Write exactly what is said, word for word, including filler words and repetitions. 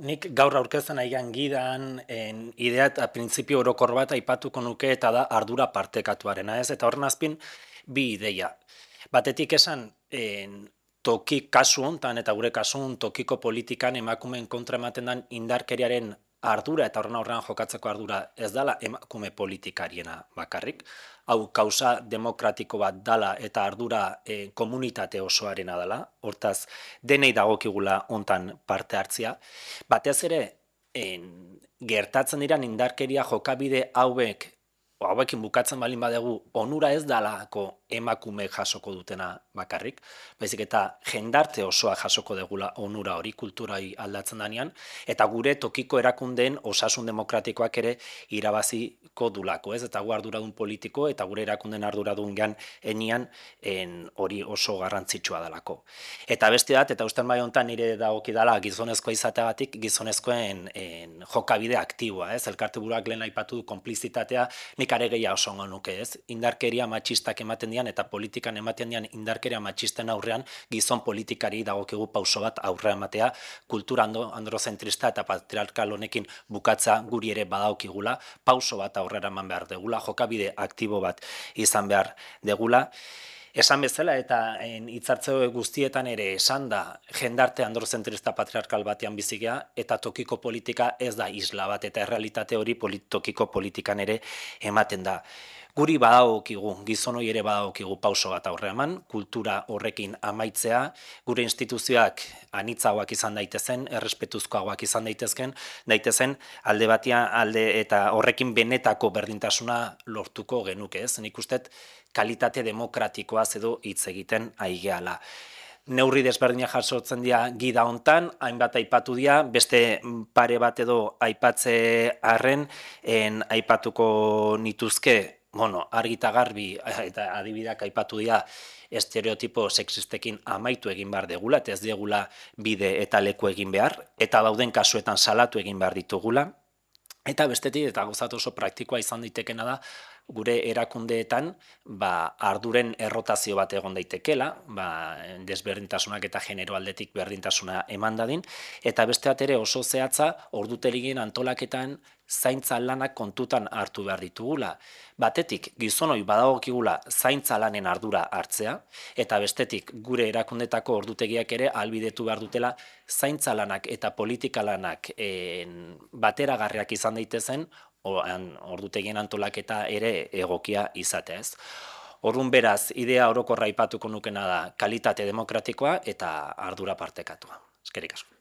Nik gaur aurkezten aigan gidan en, idea eta printzipio orokor bat aipatuko nuke eta da ardura partekatuarena, ez? Eta horren azpin, bi ideia. Batetik esan, en, toki kasu hontan eta gure kasun tokiko politikan emakumeen kontra ematen den indarkeriaren ardura eta horren aurrean jokatzeko ardura ez dala emakume politikariena bakarrik. Hau kausa demokratiko bat dala eta ardura eh, komunitate osoarena dala, hortaz denei dagokigula hontan parte hartzia. Batez ere, en, gertatzen diran indarkeria jokabide hauek, o hauekin bukatzen balin badegu, onura ez dalako emakume jasoko dutena bakarrik, baizik eta jendarte osoa jasoko degula onura hori kulturai aldatzen danean, eta gure tokiko erakundeen osasun demokratikoak ere irabaziko dulako, ez? Eta gu arduradun politiko eta gure erakundeen arduradun gan enian en, hori oso garrantzitsua dalako. Eta beste bat, eta usten bai honetan nire dagokidala gizonezkoa izateagatik gizonezkoen en, jokabide aktiboa, ez? Elkarte buruak lehen aipatu du konplizitatea, nik are gehiago oso ongo nuke, ez? Indarkeria matxistak ematen dian eta politikan ematen dian indarkeria matxisten aurrean gizon politikari dagokigu pauso bat aurrea ematea, kultura androzentrista eta patriarkal honekin bukatza guri ere badaukigula, pauso bat aurrera eman behar degula, jokabide aktibo bat izan behar degula. Esan bezala eta hitzartze guztietan ere esan da jendarte androzentrista patriarkal batean bizigea eta tokiko politika ez da isla bat eta errealitate hori polit, tokiko politikan ere ematen da. Guri badagokigu, gizon hori ere badagokigu pauso bat aurre eman, kultura horrekin amaitzea, gure instituzioak anitzagoak izan daitezen, errespetuzkoagoak izan daitezken, daitezen alde batia alde eta horrekin benetako berdintasuna lortuko genuke, ez? Nik ustet kalitate demokratikoaz edo hitz egiten aigeala. Neurri desberdinak jasotzen dira gida hontan, hainbat aipatu dira, beste pare bat edo aipatze arren, en aipatuko nituzke, bueno, argita garbi eta adibideak aipatu dira estereotipo sexistekin amaitu egin behar degula, eta ez degula bide eta leku egin behar, eta dauden kasuetan salatu egin behar ditugula, eta bestetik, eta gozat oso praktikoa izan daitekena da, gure erakundeetan ba, arduren errotazio bat egon daitekela, ba, desberdintasunak eta genero aldetik berdintasuna eman dadin, eta beste bat ere oso zehatza ordutegien antolaketan zaintza lanak kontutan hartu behar ditugula. Batetik, gizonoi badagokigula zaintza lanen ardura hartzea, eta bestetik gure erakundetako ordutegiak ere albidetu behar dutela zaintza lanak eta politika lanak en, bateragarriak izan daitezen, ordutegien antolaketa ere egokia izatea, ez. Orrun beraz, idea orokorra aipatuko nukena da kalitate demokratikoa eta ardura partekatua. Eskerrik asko.